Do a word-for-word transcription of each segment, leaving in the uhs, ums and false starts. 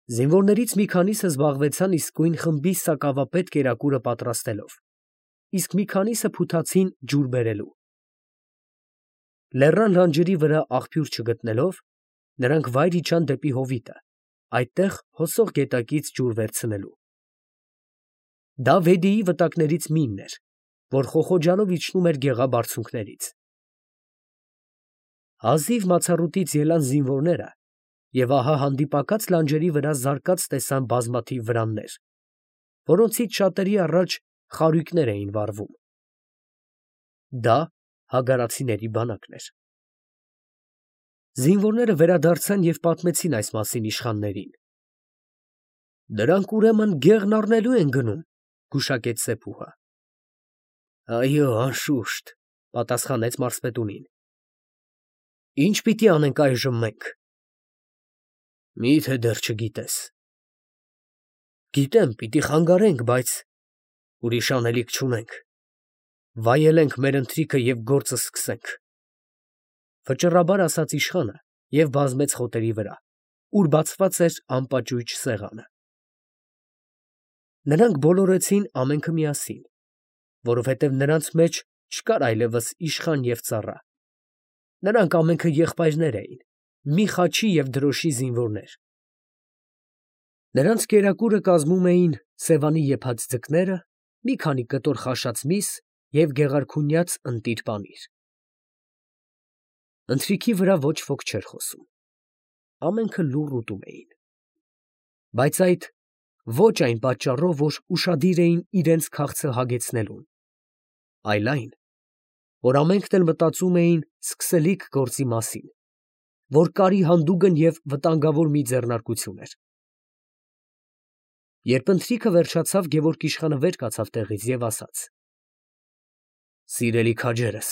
Զինվորներից մի քանիսը զբաղվեցան իսկույն խմբի սակավապետ կերակուրը պատրաստելով, իսկ մի քանիսը փութացին ջուր բերելու։ Լեռան լանջերի վրա աղբյուր չգտնելով, նրանք վայր իջան դեպի հովիտը, այդտեղ հոսող գետակից ջուր վերցնելու։ Դա Վեդիի վտակներից մինն էր, որ խոխոջալով իջնում էր գեղաբարձունքներից։ Հազիվ մացառուտից ելան զինվորները և ահա հանդիպակաց լանջերի վրա զարկած տեսան բազմաթիվ վրաններ, որոնցից շատերի առաջ խարույկներ էին վառվում։ Դա հագարացիների բանակն էր։ Զինվորները վերադարձան և պատմեցին այս մասին իշխաններին։ «Դրանք ուրեմն գեղն առնելու են գնում», գուշակեց Սեփուհը։ «Այո, անշուշտ», պատասխանեց մարզպետունին։ «Ի՞նչ պիտի անենք այժմ մենք»։ «Մի՞թե դեռ չգիտես»։ «Գիտեմ, պիտի խանգարենք, բայց ուրիշ անելիք չունենք։ Վայելենք մեր ընթրիքը և գործը սկսենք», վճռաբար ասաց իշխանը և բազմեց խոտերի վրա, ուր բացված էր անպաճույճ սեղանը։ Նրանք բոլորեցին ամենքը միասին, որովհետև նրանց մեջ չկար այլևս իշխան և ծառա. նրանք ամենքը եղբայրներ էին, մի խաչի և դրոշի զինվորներ։ Նրանց կերակուրը կազմում էին Սևանի եփած ձկները, մի քանի կտոր խաշած միս և գեղարքունյաց ընտիր պանիր։ Ընթրիքի վրա ոչ ոք չէր խոսում, ամենքը լուռ ուտում էին, բայց այդ ոչ այն պատճառով, որ ուշադիր էին իրենց քաղցը հագեցնելուն, այլ այն, որ ամենքն էլ մտածում էին սկսելիք գործի մասին, որ կարի հանդուգն և վտանգավոր մի ձեռնարկություն էր։ Երբ ընթրիքը վերջացավ, Գևորգ իշխանը վեր կացավ տեղից և ասաց. «Սիրելի քաջերս,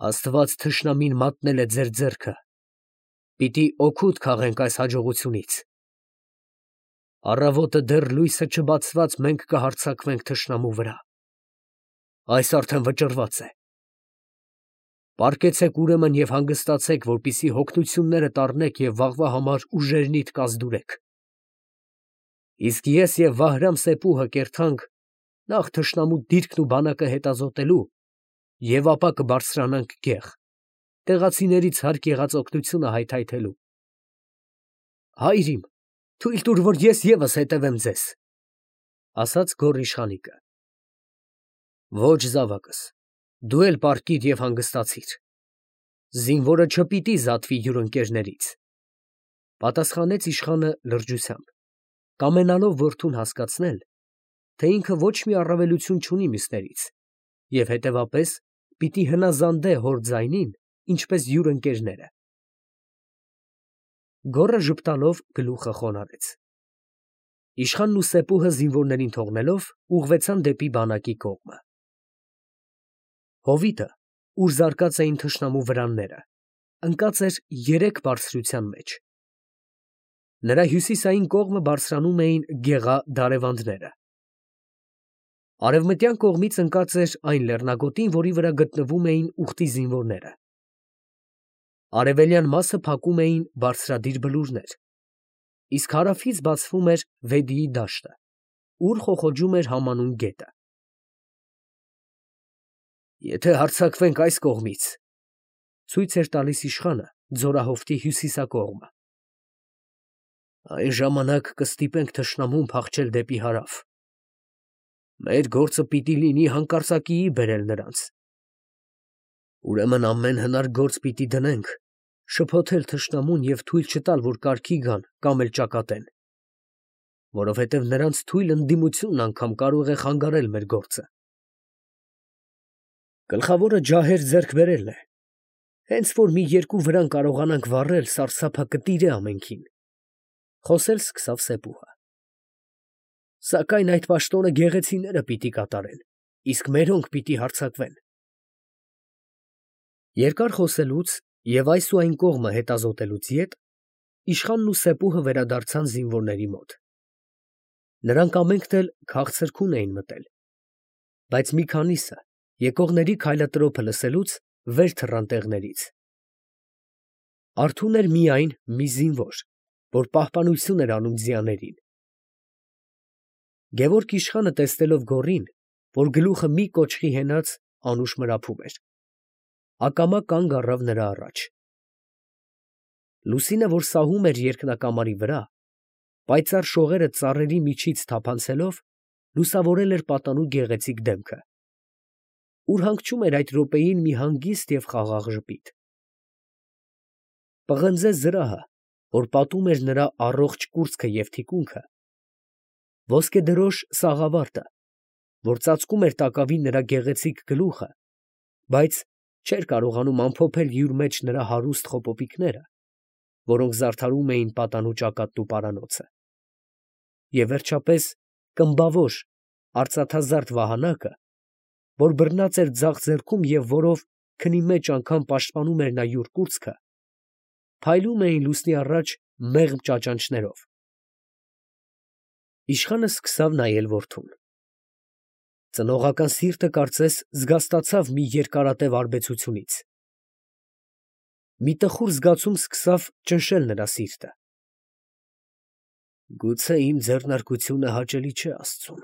Աստված թշնամին մատնել է ձեր ձեռքը, պիտի օգուտ քաղենք այս հաջողությունից։ Առավոտը դեռ լույսը չբացված մենք կհարձակվենք թշնամու վրա, այս արդեն վճռված է։ Պառկեցեք ուրեմն և հանգստացեք, որպեսզի հոգնություններդ առնեք և վաղվա համար ուժերնիդ կազդուրեք։ Իսկ ես և Վահրամ Սեփուհը կերթանք նախ թշնամու դիրքն ու բանակը հետազոտելու և ապա կբարձրանանք գեղ, տեղացիներից հարկ եղած օգնությունը հայթայթելու։ Հայր իմ, թույլ տուր, որ ես ևս հետևեմ ձեզ», ֊ ասաց գոռ իշխանիկը։ «Ոչ, զավակս, դու էլ պառկիր և հանգստացիր։ Զինվորը չպիտի զատվի յուր ընկերներից», ֊ պատասխանեց իշխանը լրջությամբ, կամենալով որդուն հասկացնել, թե ինքը ոչ մի առավելություն չունի մյուսներից և հետևապես պիտի հնազանդե հոր ձայնին, ինչպես յուր ընկերները։ Գոռը ժպտալով գլուխը խոնարհեց։ Իշխանն ու Սեփուհը զինվորներին թողնելով, ուղղվեցան դեպի բանակի կողմը։ Հովիտը, ուր զարկած էին թշնամու վրանները, ընկած էր երեք բարձրության մեջ։ Նրա հյուսիսային կողմը բարձրանում էին գեղա դարևանդները։ Արևմտյան կողմից ընկած էր այն լեռնագոտին, որի վրա գտնվում էին ուխտի զինվորները։ Արևելյան մասը փակում էին բարձրադիր բլուրներ, իսկ հարավից բացվում էր Վեդիի դաշտը, ուր խոխոջում էր համանուն գետը։ «Եթե հարձակվենք այս կողմից, ֊ ցույց էր տալիս իշխանը ձորահովտի հյուսիսակողմը, ֊ այն ժամանակ կստիպենք թշնամուն փախչել դեպի հարավ։ Մեր գործը պիտի լինի հանկարծակիի բերել նրանց։ Ուրեմն ամեն հնար գործ պիտի դնենք շփոթել թշնամուն և թույլ չտալ, որ կարգի գան կամ էլ ճակատեն, որովհետև նրանց թույլ ընդդիմությունն անգամ կարող է խանգարել մեր գործը։ Գլխավորը ջահեր ձեռք բերելն է, հենց որ մի երկու վրան կարողանանք վառել, սարսափը կտիրե ամենքին», ֊ խոսել սկսավ Սեփուհը։ «Սակայն այդ պաշտոնը գեղեցիները պիտի կատարեն, իսկ մերոնք պիտի հարձակվեն»։ Երկար խոսելուց և այս ու այն կողմը հետազոտելուց յետ իշխանն ու Սեփուհը վերադարձան զինվորների մոտ։ Նրանք ամենքն էլ քաղցրքուն էին մտել, բայց մի քանիսը, եկողների քայլատրոփը լսելուց, վեր թռան տեղներից։ Արթուն էր միայն մի զինվոր, որ պահպանություն էր անում ձիաներին։ Գևորգ իշխանը տեսնելով գոռին, որ գլուխը մի կոճղի հենած անուշ մրափում էր, ակամա կանգ առավ նրա առաջ։ Լուսինը, որ սահում էր երկնակամարի վրա, պայծառ շողերը ծառերի միջից թափանցելով, լուսավորել էր պատանու գեղեցիկ դեմքը, ուր հանգչում էր այդ րոպեին մի հանգիստ և խաղաղ ժպիտ։ Պղնձե զրահը, որ պատում էր նրա առողջ կուրծքը և թիկունքը, ոսկեդրոշ սաղավարտը, որ ծածկում էր տակավին նրա գեղեցիկ գլուխը, բայց չէր կարողանում ամփոփել յուր մեջ նրա հարուստ խոպոպիկները, որոնք զարդարում էին պատանու ճակատն ու պարանոցը, և վերջապես կմբավոր, արծաթազարդ վահանակը, որ բռնած էր ձախ ձեռքում և որով քնի մեջ անգամ պաշտպանում էր նա յուր կուրծքը, փայլում էին լուսնի առաջ մեղմ ճաճանճներով։ Իշխանը սկսավ նայել որդուն։ Ծնողական սիրտը, կարծես, զգաստացավ մի երկարատև արբեցությունից։ Մի տխուր զգացում սկսավ ճնշել նրա սիրտը։ Գուցե իմ ձեռնարկությունը հաճելի չէ աստծուն։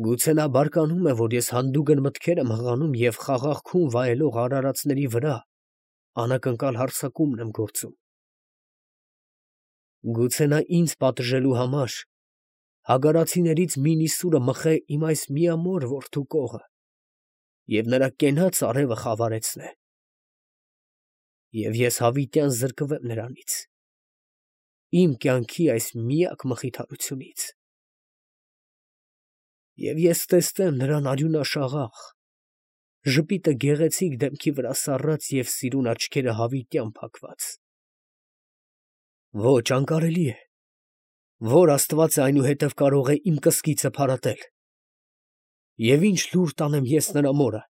Գուցե նա բարկանում է, որ ես հանդուգն մտքեր եմ հղանում և խաղաղ քուն վայելող արարածների վրա անակնկալ հարձակումն եմ գործում։ Գուցե նա ինձ պատժելու համար հագարացիներից մի նիսուրը մխե իմ այս միամոր որդու կողը և նրա կենաց արևը խավարեցնե։ Եվ ես հավիտյան զրկվեմ նրանից, իմ կյանքի այս միակ մխիթարությունից։ Եվ ես տեսնեմ նրան արյունաշաղախ, ժպիտը գեղեցիկ դեմքի վրա սառած և սիրուն աչքերը հավիտյան փակված։ Ոչ, անկարելի է, որ աստված է այնուհետև կարող է իմ կսկիցը փարատել։ Եվ ի՞նչ լուր տանեմ ես նրա մորը,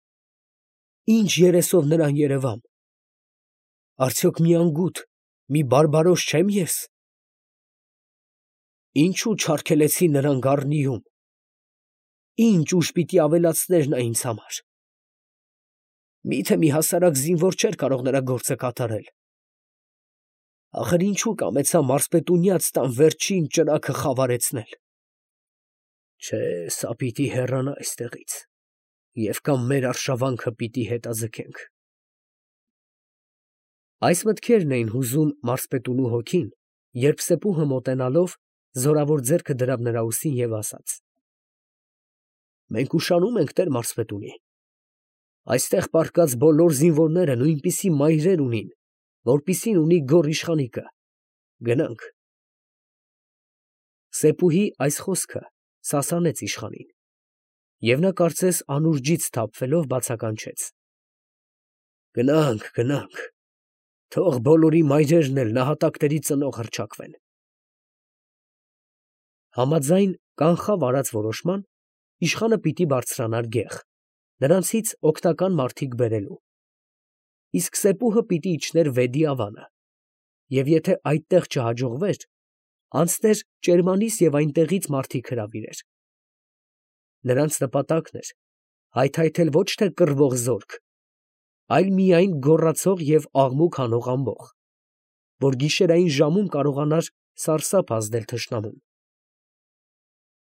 ի՞նչ երեսով նրան երևամ, արդյոք մի անգութ, մի բարբարոս չե՞մ ես։ Ինչո՞ւ չարգելեցի նրան գառնիում, ի՞նչ ուժ պիտի ավելացներ նա ինձ համար։ Մի՞թե մի հասարակ զինվոր չէր կարող նրա գործը կատարել։ Ախր ինչո՞ւ կամեցա մարզպետունյաց տան վերջին ճրագը խավարեցնել։ Չէ, սա պիտի հեռանա այստեղից, և կամ մեր արշավանքը պիտի հետաձգենք։ Այս մտքերն էին հուզում մարզպետունու հոգին, երբ սեպուհը մոտենալով զորավոր ձեռքը դրավ նրա ուսին և ասաց. Մենք ուշանում ենք տեր մարզպետունի։ Այստեղ պառկած բոլոր զինվորները նույնպիսի մայրեր ունին, որպիսին ունի գոռ իշխանիկը։ Գնանք։ Սեպուհի այս խոսքը սասանեց իշխանին, և նա կարծես անուրջից սթափվելով բացականչեց. Գնանք, գնանք, թող բոլորի մայրերն էլ նահատակների ծնող հռչակվեն։ Համաձայն կանխավ արած որոշման, իշխանը պիտի բարձրանար գեղ, նրանցից օգնական մարդիկ բերելու, իսկ սեպուհը պիտի իջներ Վեդի ավանը, և եթե այդտեղ չհաջողվեր, անցներ Ճերմանիս և այնտեղից մարդիկ հրավիրեր։ Նրանց նպատակն էր հայթայթել ոչ թե կռվող զորք, այլ միայն գոռացող և աղմուկ հանող ամբոխ, որ գիշերային ժամում կարողանար սարսափ ազդել թշնամուն։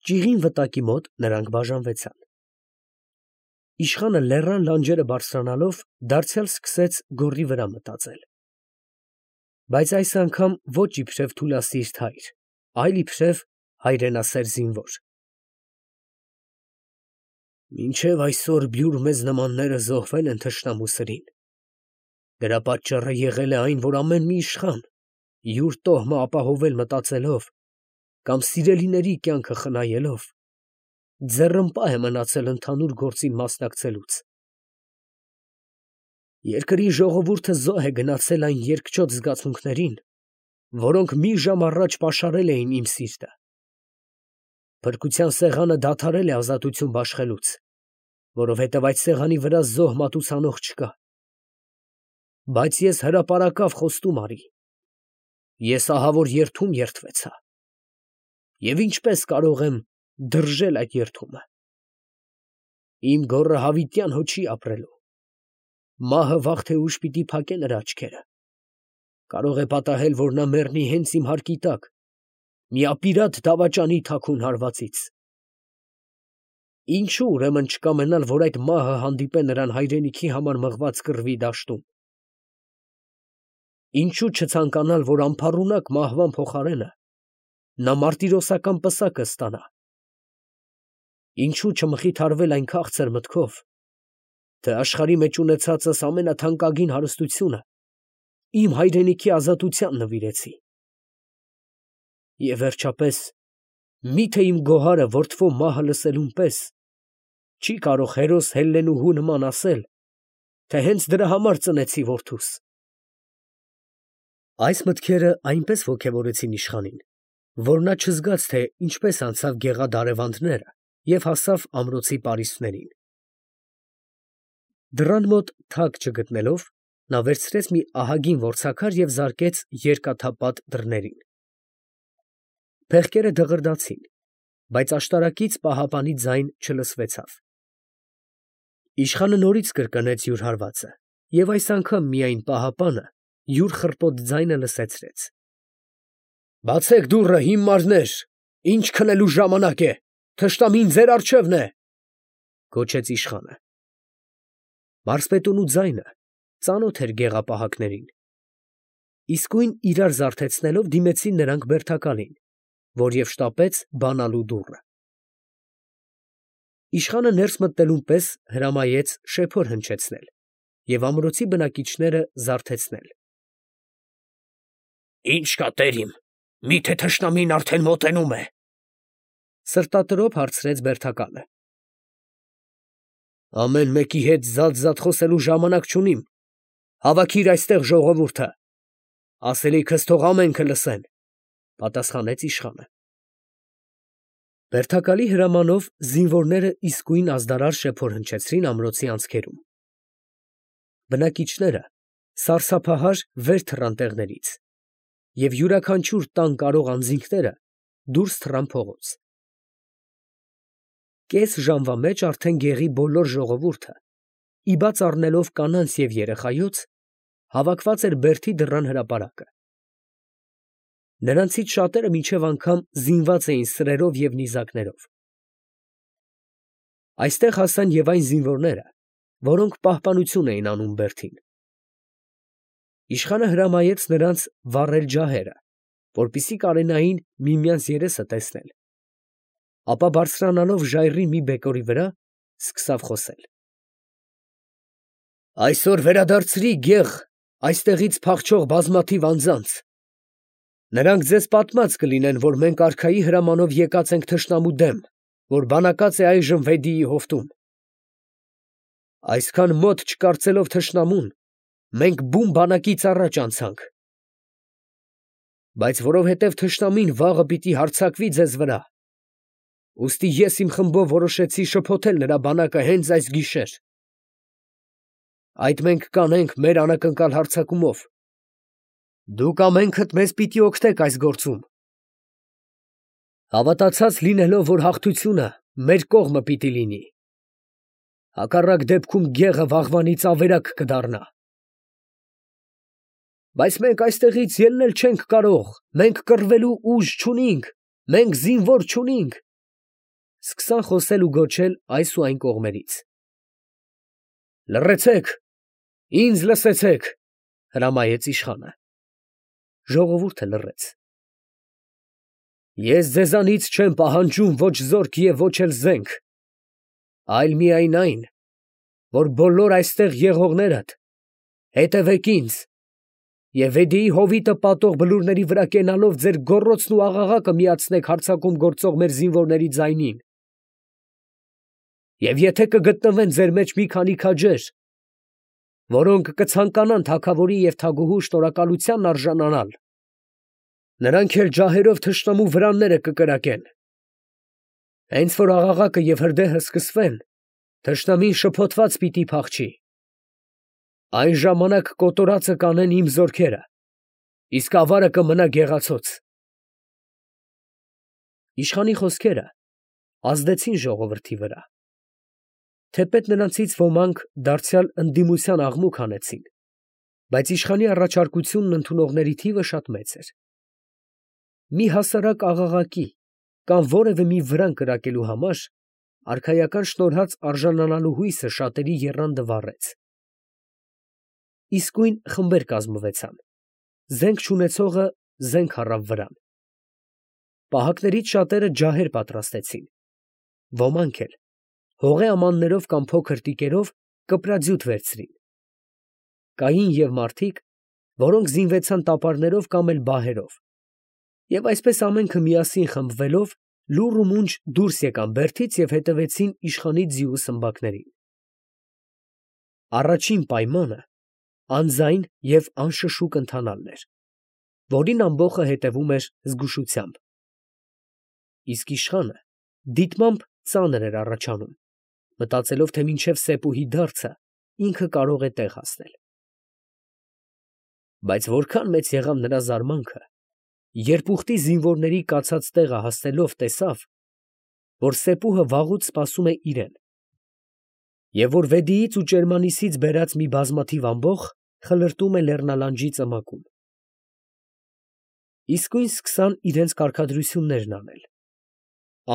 Ճիղին վտակի մոտ նրանք բաժանվեցան։ Իշխանը լեռան լանջերը բարձրանալով դարձյալ սկսեց գոռի վրա մտածել։ Բայց այս անգամ ոչ իբրև թուլասիրտ հայր, այլ իբրև հայրենասեր զինվոր։ Մինչև այսօր բյուր մեզ նմանները զոհվել են թշնամու սրին։ Դրա պատճառը եղել է այն, որ ամեն մի իշխան, յուր տոհմը ապահովել մտածելով կամ սիրելիների կյանքը խնայելով, ձեռնպահ է մնացել ընդհանուր գործին մասնակցելուց։ Երկրի ժողովուրդը զոհ է գնացել այն երկչոտ զգացմունքներին, որոնք մի ժամ առաջ պաշարել էին իմ սիրտը։ Փրկության սեղանը դադարել է ազատություն բաշխելուց, որովհետև այդ սեղանի վրա զոհ մատուցանող չկա։ Բայց ես հրապարակավ խոստում արի. ես ահավոր երդում երդվեցա։ Եվ ինչպես կարող եմ դրժել այդ երդումը։ Իմ գոռը հավիտյան հո չի ապրելու։ Մահը վաղ թե ուշ պիտի փակե նրա աչքերը։ Կարող է պատահել, որ նա մեռնի հենց իմ հարկի տակ, մի ապիրատ դավաճանի թաքուն հարվածից։ Ինչու ուրեմն չկամենալ, որ այդ մահը հանդիպե նրան հայրենիքի համար մղված կռվի դաշտում։ Ինչու չցանկանալ, որ անփառունակ մահվան փոխարենը նա մարտիրոսական պսակը ստանա։ Ինչու չմխիթարվել այն քաղցր մտքով, թե աշխարհի մեջ ունեցածս ամենաթանկագին հարստությունը իմ հայրենիքի ազատության նվիրեցի։ Եվ վերջապես, միթե իմ գոհարը որդվո մահը լսելուն պես չի կարող հերոս Հելլենուհու նման ասել, թե հենց դրա համար ծնեցի որդուս։ Այս մտքերը այնպես ոգևորեցին իշխանին, որ նա չզգաց, թե ինչպես անցավ գեղադարևանդները և հասավ ամրոցի պարիսպներին։ Դռան մոտ թակ չգտնելով, նա վերցրեց մի ահագին որցաքար և զարկեց երկաթապատ դռներին։ Փեղկերը դղրդացին, բայց աշտարակից պահապանի ձայն չլսվեցավ։ Իշխանը նորից կրկնեց յուր հարվածը, և այս անգամ միայն պահապանը յուր խռպոտ ձայնը լսեցրեց։ «Բացեք դուռը, հիմարներ, ինչ քնելու ժամանակ է, թշնամին ձեր առջևն է», գոչեց իշխանը։ Մարզպետունու ձայնը ծանոթ էր գեղապահակներին։ Իսկույն իրար զարթեցնելով դիմեցին նրանք բերդակալին, որ և շտապեց բանալու դուռը։ Իշխանը ներս մտնելուն պես հրամայեց շեփոր հնչեցնել և ամրոցի բնակիչները զարթեցնել։ «Ի՞նչ կա, տերիմ, մի՞թե թշնամին արդեն մոտենում է», սրտատրոփ հարցրեց բերդակալը։ «Ամեն մեկի հետ զատ֊զատ խոսելու ժամանակ չունիմ, հավաքիր այստեղ ժողովուրդը, ասելիքս թող ամենքը լսեն», պատասխանեց իշխանը։ Բերդակալի հրամանով զինվորները իսկույն ազդարար շեփոր հնչեցրին ամրոցի անցքերում։ Բնակիչները սարսափահար վեր թռան տեղներից, և յուրաքանչյուր տան կարող անձինքները դուրս թռան փողոց։ Կես ժամվա մեջ արդեն գեղի բոլոր ժողովուրդը, ի բաց առնելով կանանց և երեխայոց, հավաքված էր բերդի դռան հրապարակը։ Նրանցից շատերը մինչև անգամ զինված էին սրերով և նիզակներով։ Այստեղ հասան և այն զինվորները, որոնք պահպանություն էին անում բերդին։ Իշխանը հրամայեց նրանց վառել ջահերը, որպեսզի կարենային միմյանց երեսը տեսնել, ապա բարձրանալով ժայռի մի բեկորի վրա, սկսավ խոսել. «Այսօր վերադարձրի գեղ այստեղից փախչող բազմաթիվ անձանց. նրանք ձեզ պատմած կլինեն, որ մենք արքայի հրամանով եկած ենք թշնամու դեմ, որ բանակած է այժմ Վեդիի հովտում։ Այսքան մոտ չկարծելով թշնամուն, մենք բուն բանակից առաջ անցանք։ Բայց որովհետև թշնամին վաղը պիտի հարձակվի ձեզ վրա, ուստի ես իմ խմբով որոշեցի շփոթել նրա բանակը հենց այս գիշեր։ Այդ մենք կանենք մեր անակնկալ հարձակումով։ Դուք ամենքդ մեզ պիտի օգնեք այս գործում։ Հավատացած լինելով, որ հաղթությունը մեր կողմը պիտի լինի։ Հակառակ դեպքում գեղը վաղվանից ավերակ կդառնա։ Բայց մենք այստեղից ելնել չենք կարող, մենք կռվելու ուժ չունենք, մենք զինվոր չունենք, սկսան խոսել ու գոչել այս ու այն կողմերից։ Լռեցեք, ինձ լսեցեք, հրամայեց իշխանը։ Ժողովուրդը լռեց։ Ես ձեզանից չեմ պահանջում ոչ զորք և ոչ էլ զենք, այլ միայն այն, որ բոլոր այստեղ եղողներդ հետևեք ինձ և Վեդիի հովիտը պատող բլուրների վրա կենալով ձեր գոռոցն ու աղաղակը միացնեք հարձակում գործող մեր զինվորների ձայնին։ Եվ եթե կգտնվեն ձեր մեջ մի քանի քաջեր, որոնք կցանկանան թագավորի և թագուհու շնորհակալությանն արժանանալ, նրանք էլ ջահերով թշնամու վրանները կկրակեն։ Հենց որ աղաղակը և հրդեհը սկսվեն, թշնամին շփոթված պիտի փախչի։ Այն ժամանակ կոտորածը կանեն իմ զորքերը, իսկ ավարը կմնա գեղացոց։ Իշխանի խոսքերը ազդեցին ժողովրդի վրա, թեպետ նրանցից ոմանք դարձյալ ընդդիմության աղմուկ հանեցին, Բայց իշխանի առաջարկությունն ընդունողների թիվը շատ մեծ էր։ Մի հասարակ աղաղակի կամ որևէ մի վրան կրակելու համար արքայական շնորհած արժանանալու հույսը շատերի եռանդը վառեց։ Իսկույն խմբեր կազմվեցան, զենք չունեցողը զենք առավ վրան։ Պահակներից շատերը ջահեր պատրաստեցին, ոմանք էլ հողե ամաններով կամ փոքր տիկերով կպրաձյուտ վերցրին։ Կային և մարդիկ, որոնք զինվեցան տապարներով կամ էլ բահերով, և այսպես ամենքը միասին խմբվելով լուռ ու մունջ դուրս եկան բերդից և հետևեցին իշխանի ձիու սմբակներին։ Առաջին պայմանը անձայն և անշշուկ ընթանալն էր, որին ամբոխը հետևում էր զգուշությամբ։ Իսկ իշխանը դիտմամբ ծանր էր առաջանում, մտածելով, թե մինչև սեպուհի դարձը ինքը կարող է տեղ հասնել։ Բայց որքան մեծ եղավ նրա զարմանքը, երբ ուխտի զինվորների կացած տեղը հասնելով տեսավ, որ սեպուհը վաղուց սպասում է իրեն, և որ Վեդիից ու Ճերմանիսից բերած մի բազմաթիվ ամբոխ խլրտում է լեռնալանջի ծմակում։ Իսկույն սկսան իրենց կարգադրություններն անել։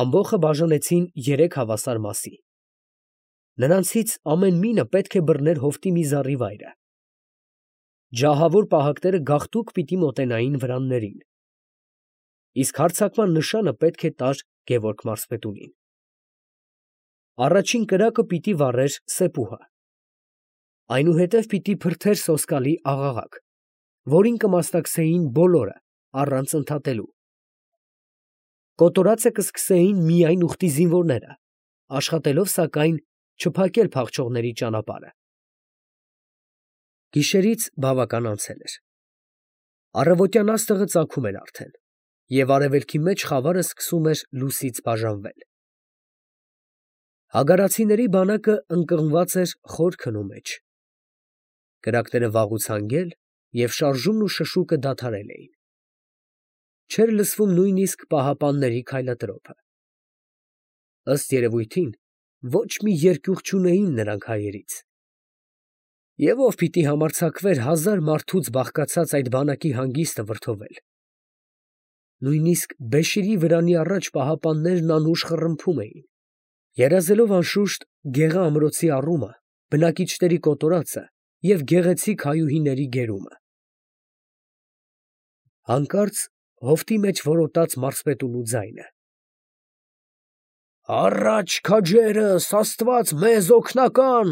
Ամբոխը բաժանեցին երեք հավասար մասի։ Նրանցից ամեն մինը պետք է բռներ հովտի մի զառիվայրը։ Ջահավոր պահակները գաղտուկ պիտի մոտենային վրաններին, իսկ հարձակման նշանը պետք է տար Գևորգ մարզպետունին։ Առաջին կրակը պիտի վառեր սեպուհը, այնուհետև պիտի փրթեր սոսկալի աղաղակ, որին կմասնակցեին բոլորը առանց ընդհատելու։ Կոտորածը կսկսեին միայն ուխտի զինվորները, աշխատելով սակայն չփակել փախչողների ճանապարհը։ Գիշերից բավական անցել էր։ Առավոտյան աստղը ծագում էր արդեն, և արևելքի մեջ խավարը սկսում էր լուսից բաժանվել։ Հագարացիների բանակը ընկղմված էր խոր քնու մեջ։ Կրակները վաղուց հանգել և շարժումն ու շշուկը դադարել էին։ Չէր լսվում նույնիսկ պահապանների քայլատրոփը։ Ըստ երևույթին, ոչ մի երկյուղ չունեին նրանք հայերից։ Եվ ով պիտի համարձակվեր հազար մարդուց բաղկացած այդ բանակի հանգիստը վրդովել։ Նույնիսկ Բեշիրի վրանի առաջ պահապաններն անուշ խռմփում էին, երազելով անշուշտ Գեղա ամրոցի առումը, բնակիչների կոտորածը և գեղեցիկ հայուհիների գերումը։ Հանկարծ հովտի մեջ որոտաց մարզպետունու ձայնը. «Առաջ քաջերս, Աստված մեզ օգնական,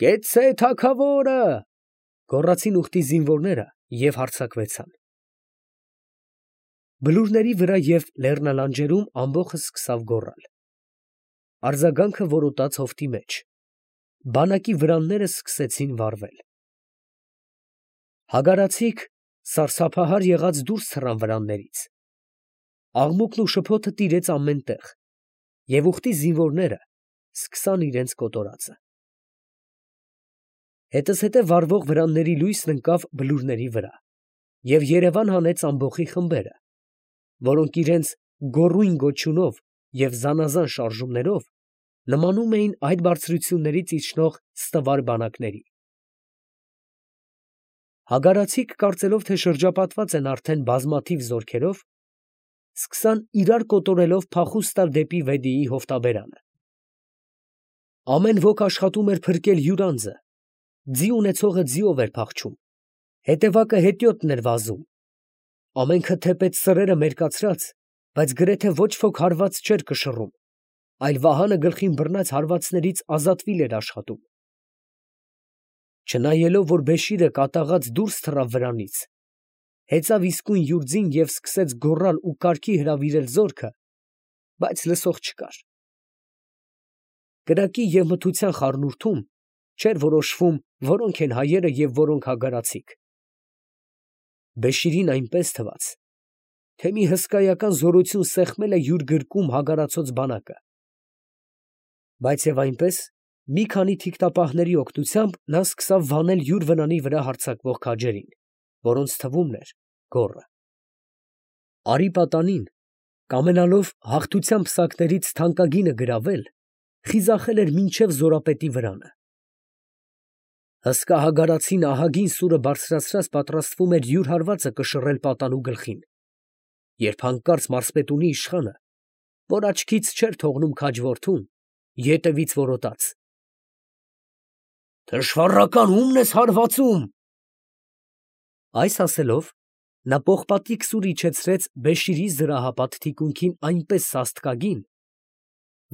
կեցցե թագավորը», գոռացին ուխտի զինվորները և հարձակվեցան։ Բլուրների վրա և լեռնալանջերում ամբոխը սկսավ գոռալ։ Արձագանքը որոտաց հովտի մեջ, բանակի վրանները սկսեցին վառվել։ Հագարացիք սարսափահար եղած դուրս թռան վրաններից։ Աղմուկն ու շփոթը տիրեց ամեն տեղ, և ուխտի զինվորները սկսան իրենց կոտորածը։ Հետզհետե վառվող վրանների լույսն ընկավ բլուրների վրա և երևան հանեց ամբոխի խմբերը, որոնք իրենց գոռույն գոչյունով և զանազան շարժումներով նմանում էին այդ բարձրություններից իջնող ստվար բանակների։ Հագարացիք, կարծելով, թե շրջապատված են արդեն բազմաթիվ զորքերով, սկսան իրար կոտորելով փախուստ տալ դեպի Վեդիի հովտաբերանը։ Ամեն ոք աշխատում էր փրկել յուր անձը, ձի ունեցողը ձիով էր փախչում, հետևակը հետիոտն էր վազում։ Ամենքը թեպետ սրերը մերկացրած, բայց գրեթե ոչ ոք հարված չէր կշռում, այլ վահանը գլխին բռնած հարվածներից ազատվիլ էր աշխատում։ Չնայելով, որ Բեշիրը կատաղած դուրս թռավ վրանից, հեծավ իսկույն յուր ձին և սկսեց գոռալ ու կարգի հրավիրել զորքը, բայց լսող չկար։ Կրակի և մթության խառնուրդում չէր որոշվում որոնք են հայերը և որոնք հագարացիք։ Բեշիրին այնպես թվաց, թե մի հսկայական զորություն սեղմել է յուր գրկում հագարացած բանակը։ Բայց և այնպես, մի քանի թիկնապահների օգնությամբ նա սկսավ վանել յուր վրանի վրա հարձակվող քաջերին, որոնց թվում էր գոռը։ Արի պատանին, կամենալով հաղթության պսակներից թանկագինը գրավել, խիզախել էր մինչև զորապետի վրանը։ Հսկա հագարացին ահագին սուրը բարձրացրած պատրաստվում էր յուր հարվածը կշռել պատանու գլխին, երբ հանկարծ մարզպետունի իշխանը, որ աչքից չէր թողնում քաջ որդուն, ետևից որոտաց. «Թշվառական ո՞ւմն ես հարվածում»։ Այս ասելով, նա պողպատիկ սուր իջեցրեց Բեշիրի զրահապատ թիկունքին այնպես սաստկագին,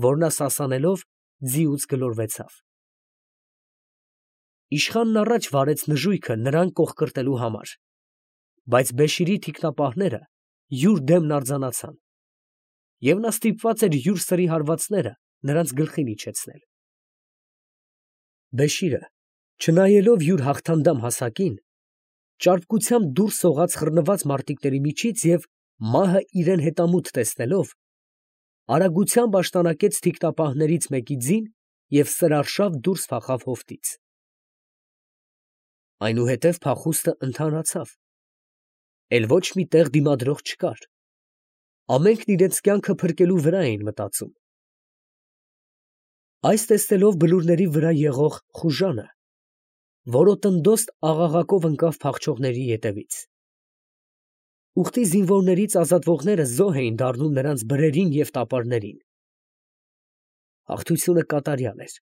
որ նա սասանելով ձիուց գլորվեցավ։ Իշխանն առաջ վարեց նժույգը նրան կողկրտելու համար, բայց Բեշիրի թիկնապահները յուր դեմն արձանացան, և նա ստիպված էր յուր սրի հարվածները նրանց գլխին իջեցնել։ Բեշիրը, չնայելով յուր հաղթանդամ հասակին, ճարպկությամբ դուրս սողաց խռնված մարտիկների միջից և, մահը իրան հետամուտ տեսնելով, արագությամբ աշտանակեց թիկնապահներից մեկի ձին և սրարշավ դուրս փախավ հովտից։ Այնուհետև փախուստը ընդհանրացավ, էլ ոչ մի տեղ դիմադրող չկար, ամենքն իրենց կյանքը փրկելու վրա էին մտածում։ Այս տեսնելով բլուրների վրա եղող խուժանը որոտնդոստ աղաղակով ընկավ փախչողների ետևից։ Ուղտի զինվորներից ազատվողները զոհ էին դառնում նրանց բրերին և տապարներին։ Հաղթությունը կատարյալ էր։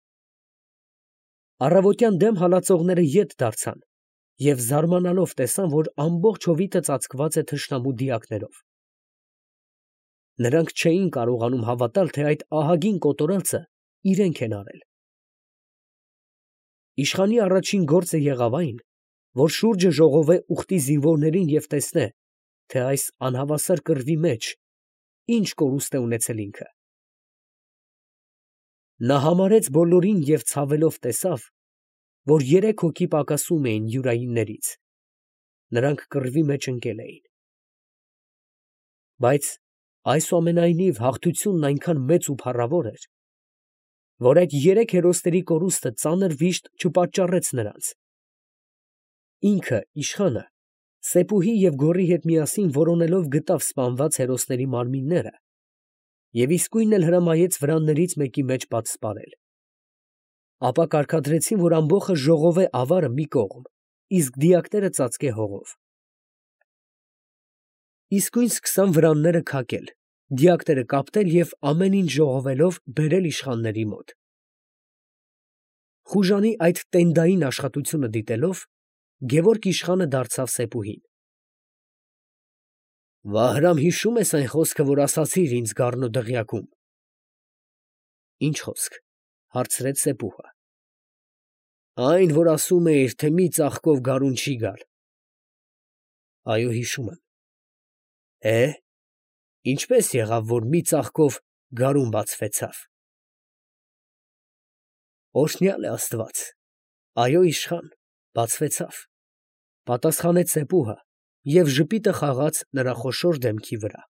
Առավոտյան դեմ հալածողները ետ դարձան և զարմանալով տեսան, որ ամբողջ հովիտը ծածկված է թշնամու դիակներով։ Նրանք չէին կարողանում հավատալ, թե այդ ահագին կոտորածը իրենք են արել։ Իշխանի առաջին գործը եղավ այն, որ շուրջը ժողովե ուղտի զինվորներին և տեսնե, թե այս անհավասար կռվի մեջ ինչ կորուստ է ունեցել ինքը։ Նա համարեց բոլորին և ցավելով տեսավ, որ երեք հոգի պակասում էին յուրայիններից, նրանք կռվի մեջ ընկել էին։ Բայց այսուամենայնիվ հաղթությունն այնքան մեծ ու փառավոր էր, որ այդ երեք հերոսների կորուստը ծանր վիշտ չպատճառեց նրանց։ Ինքը, իշխանը, Սեփուհի և գոռի հետ միասին որոնելով գտավ սպանված հերոսների մարմինները և իսկույն էլ հրամայեց վրաններից մեկի մեջ պատսպարել։ Ապա կարգադրեցին, որ ամբոխը ժողովե ավարը մի կողմ, իսկ դիակները ծածկե հողով։ Իսկույն սկսան վրանները քակել, դիակները կապտել և ամեն ինչ ժողովելով բերել իշխանների մոտ։ Խուժանի այդ տենդային աշխատությունը դիտելով, Գևորգ իշխանը դարձավ Սեփուհին. «Վահրամ, հիշո՞ւմ ես այն խոսքը, որ ասացիր ինձ Գառնու֊Դղյակում»։ ֊ Ի՞նչ խոսք, ֊ հարցրեց Սեփուհը։ ֊ Այն, որ ասում էիր, թե մի ծաղկով գարուն չի գալ։ ֊ Այո, հիշում եմ։ ֊ Է՞, ինչպե՞ս եղավ, որ մի ծաղկով գարուն բացվեցավ։ ֊ Օրհնյալ է աստված, այո, իշխան, բացվեցավ, ֊ պատասխանեց Սեփուհը և ժպիտը խաղաց նրա խոշոր դեմքի վրա։